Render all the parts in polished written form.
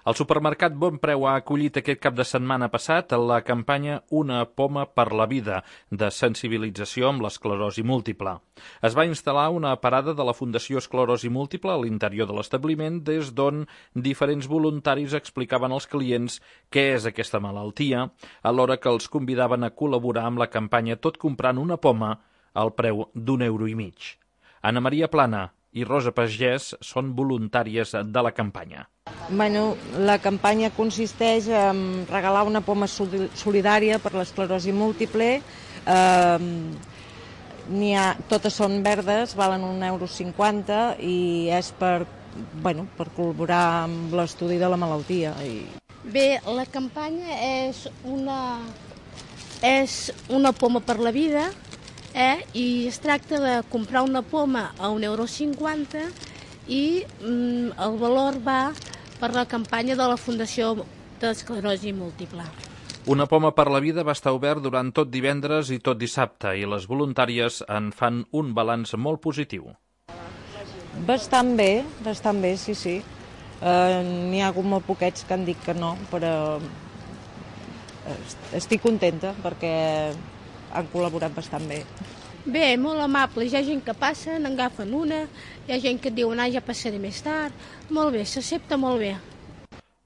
El supermercat Bon Preu ha acollit aquest cap de setmana passat la campanya Una poma per la vida, de sensibilització amb l'esclerosi múltiple. Es va instal·lar una parada de la Fundació Esclerosi Múltiple a l'interior de l'establiment, des d'on diferents voluntaris explicaven als clients què és aquesta malaltia, alhora que els convidaven a col·laborar amb la campanya Tot comprant una poma al preu d'1,50 €. Anna Maria Plana i Rosa Pagès són voluntàries de la campanya. Bueno, la campanya consisteix en regalar una poma solidària per l'esclerosi múltiple. Totes són verdes, valen €1,50 i és per col·laborar amb l'estudi de la malaltia. Bé, la campanya és una poma per la vida, i es tracta de comprar una poma a €1,50 i el valor va per la campanya de la Fundació d'Esclerosi Múltiple. Una poma per la vida va estar obert durant tot divendres i tot dissabte i les voluntàries en fan un balanç molt positiu. Bastant bé, sí. N'hi ha hagut molt poquets que han dit que no, però estic contenta perquè han col·laborat bastant bé. Bé, molt amables. Hi ha gent que passa, n'agafen una, hi ha gent que et diu, ja passaré més tard. Molt bé, s'accepta molt bé.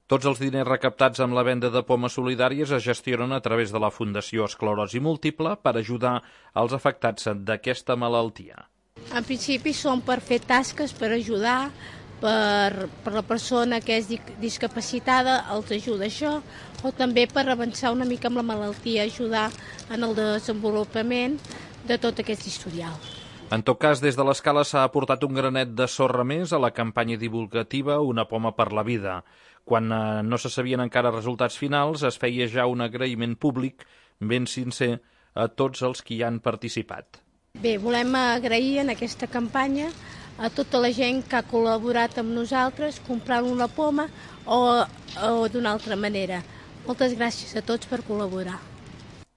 Tots els diners recaptats amb la venda de pomes solidàries es gestionen a través de la Fundació Esclerosi Múltiple per ajudar els afectats d'aquesta malaltia. En principi són per fer tasques, per ajudar, per la persona que és discapacitada, els ajuda això, o també per avançar una mica amb la malaltia, ajudar en el desenvolupament de tot aquest historial. En tot cas, des de l'Escala s'ha aportat un granet de sorra més a la campanya divulgativa Una poma per la vida. Quan no se sabien encara resultats finals, es feia ja un agraïment públic ben sincer a tots els que hi han participat. Bé, volem agrair en aquesta campanya a tota la gent que ha col·laborat amb nosaltres comprant una poma o d'una altra manera. Moltes gràcies a tots per col·laborar.